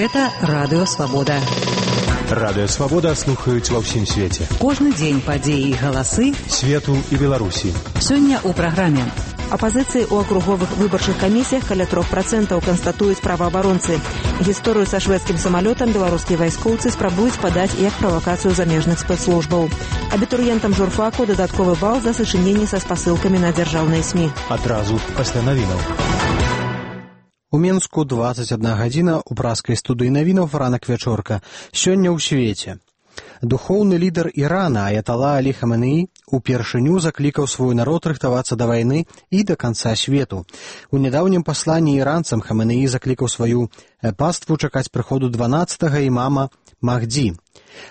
Гэта Радыё Свабода. Радыё Свабода слухаюць ва ўсім свеце. Кожны дзень падзеі і галасы свету і Беларусі. Сёння ў праграме. Апазіцыі ў акруговых выбарчых камісіях каля 3% канстатуюць праваабаронцы. Гісторыю са шведскім самалётам беларускія вайскоўцы спрабуюць падаць як правакацыю замежных спецслужбаў. Абітурыентам журфаку дадатковы бал за сачыненні са спасылкамі на дзяржаўныя СМІ. Адразу пасля навінаў. У Менску 21 гадзіна, у праскай студыі навінаў ранак вячорка. Сёння ў свеце. Духоўны лідар Ірана Аятала Алі Хаменеі упершыню заклікаў свой народ рыхтавацца да вайны і да канца свету. У нядаўнім пасланні іранцам Хаменеі заклікаў сваю паству чакаць прыходу 12-га імама Махдзі.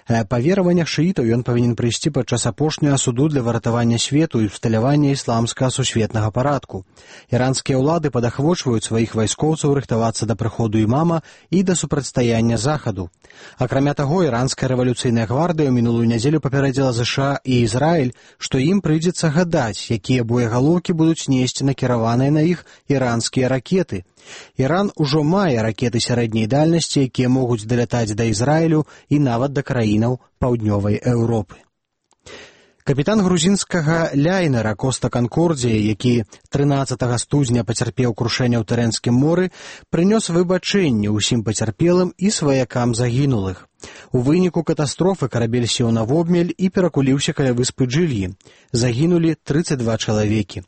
Па вераваннях шыітаў ён павінен прыйсці падчас апошняга суду для выратавання свету і ўсталявання ісламскага сусветнага парадку. Іранскія ўлады падахвочваюць сваіх вайскоўцаў рыхтавацца да прыходу імама і да супрацьстаяння захаду. Акрамя таго, іранская рэвалюцыйная гвардыя ў мінулую нядзелю папярэдзіла ЗША і Ізраіль, што ім прыйдзецца гадаць, якія боегалоўкі будуць несці накіраваныя на іх іранскія ракеты. Іран ужо мае ракеты сярэдняй дальнасці, якія могуць далятаць да Ізраілю і нават да краінаў паўднёвай Еўропы. Капітан грузінскага ляйнера Коста Канкордзія, які 13 студзеня пацярпеў крушэнне ў Тэрэнскім моры, прынёс выбачэнне ўсім пацярпелым і сваякам загінулых. У выніку катастрофы карабель сеў на вобмель і перакуліўся каля выспы Джыльі. Загінулі 32 чалавекі.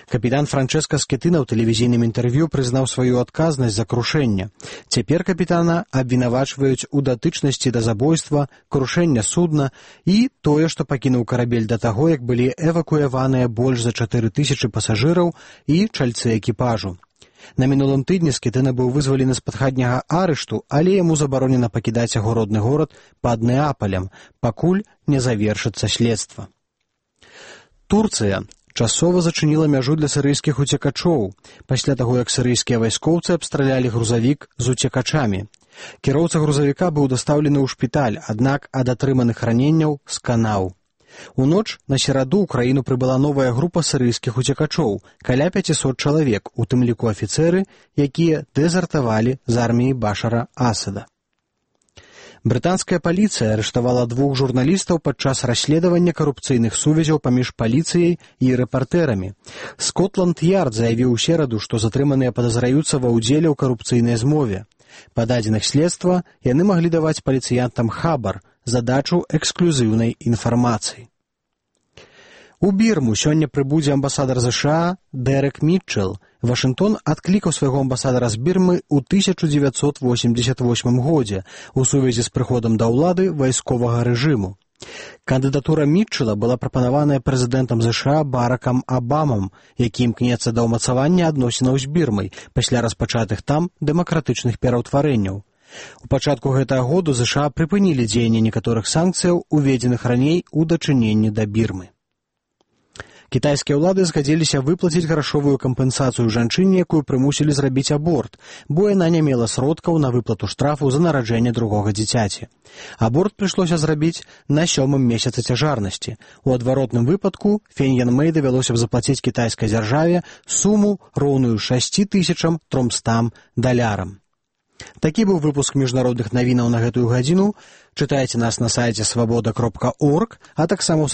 Капітан Франчэска Скетына ў тэлевізійным інтэрв'ю прызнаў сваю адказнасць за крушэнне. Цяпер капітана абвінавачваюць у датычнасці да забойства, крушэння судна і тое, што пакінуў карабель да таго, як былі эвакуяваныя больш за 4000 пасажыраў і чальцы экіпажу. На мінулым тыдні Скетына быў вызвалены з-пад хатняга арышту, але яму забаронена пакідаць яго родны горад пад Неапалем, пакуль не завершыцца следства. Турцыя часова зачыніла мяжу для сірыйскіх уцекачоў, пасля таго, як сірыйскія вайскоўцы абстралялі грузавік з уцекачамі. Кіроўца грузавіка быў дастаўлены ў шпіталь, аднак ад атрыманых раненняў сканаў. У ноч на сераду ў краіну прыбыла новая група сірыйскіх уцекачоў, каля 500 чалавек, у тым ліку афіцэры, якія дэзертавалі з арміі Башара Асада. Брытанская паліцыя арыштавала 2 журналістаў падчас расследавання карупцыйных сувязяў паміж паліцыяй і рэпартэрамі. Скотланд-Ярд заявіў у сераду, што затрыманыя падазраюцца ва ўдзеле ў карупцыйнай змове. Па дадзеных следства яны маглі даваць паліцыянтам хабар, задачу эксклюзіўнай інфармацыі. У Бірму сёння прыбудзе амбасадар ЗША Дэрек Мітчэл. Вашынгтон адклікаў свайго амбасадара з Бірмы ў 1988 годзе у сувязі з прыходам да ўлады вайсковага рэжыму. Кандыдатура Мітчэла была прапанаваная прэзідэнтам ЗША Баракам Абамам, які імкнецца да ўмацавання адносінаў з Бірмай пасля распачатых там дэмакратычных пераўтварэнняў. У пачатку гэтага году ЗША прыпынілі дзеянне некаторых санкцыяў, уведзеных раней у дачыненні да Бірмы. Кітайскія ўлады згадзіліся выплаціць грашовую кампенсацыю жанчыне, якую прымусілі зрабіць аборт, бо яна не мела сродкаў на выплату штрафу за нараджэнне другога дзіцяці. Аборт прыйшлося зрабіць на 7-м месяцы цяжарнасці. У адваротным выпадку Феньян Мэй давялося б заплаціць кітайскай дзяржаве суму, роўную $6300. Такі быў выпуск міжнародных навінаў на гэтую гадзіну. Чытайце нас на сайце свабода.орг, а таксама ў